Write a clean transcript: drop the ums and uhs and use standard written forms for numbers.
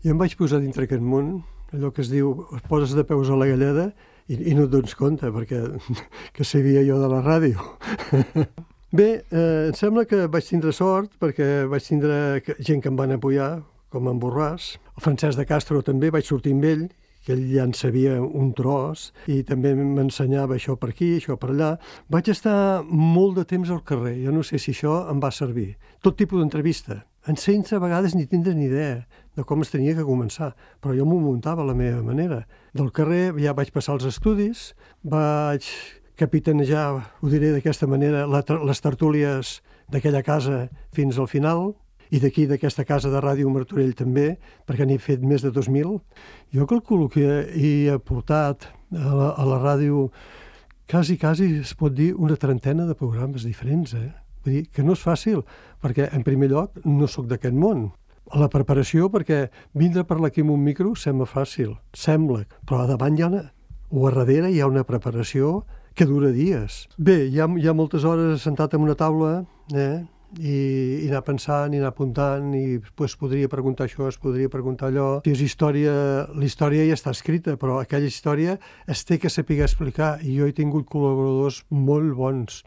I em vaig posar dintre aquest món, allò que es diu, es poses de peus a la galleda i no et dones compte, perquè que sabia jo de la ràdio. Bé, em sembla que vaig tindre sort, perquè vaig tindre gent que em van apoyar, com en Borràs. El Francesc de Castro també, vaig sortir amb ell, que ell ja en sabia un tros, i també m'ensenyava això per aquí, això per allà. Vaig estar molt de temps al carrer, jo no sé si això em va servir. Tot tipus d'entrevista, sense a vegades ni tindre ni idea de com es tenia que començar, però jo m'ho muntava a la meva manera. Del carrer ja vaig passar els estudis, vaig capitanejar, ho diré d'aquesta manera, les tertúlies d'aquella casa fins al final, i d'aquí, d'aquesta casa de Ràdio Martorell també, perquè n'he fet més de 2.000. Jo calculo que he aportat a la ràdio quasi es pot dir una trentena de programes diferents, Vull dir que no és fàcil, perquè en primer lloc no sóc d'aquest món. La preparació, perquè vindre a parlar aquí amb un micro sembla fàcil, però a davant o a darrere hi ha una preparació que dura dies. Bé, hi ha moltes hores sentat en una taula, i anar pensant, i anar apuntant, i podria preguntar això, es podria preguntar allò. Si és història, la història ja està escrita, però aquella història es té que saber explicar, i jo he tingut col·laboradors molt bons,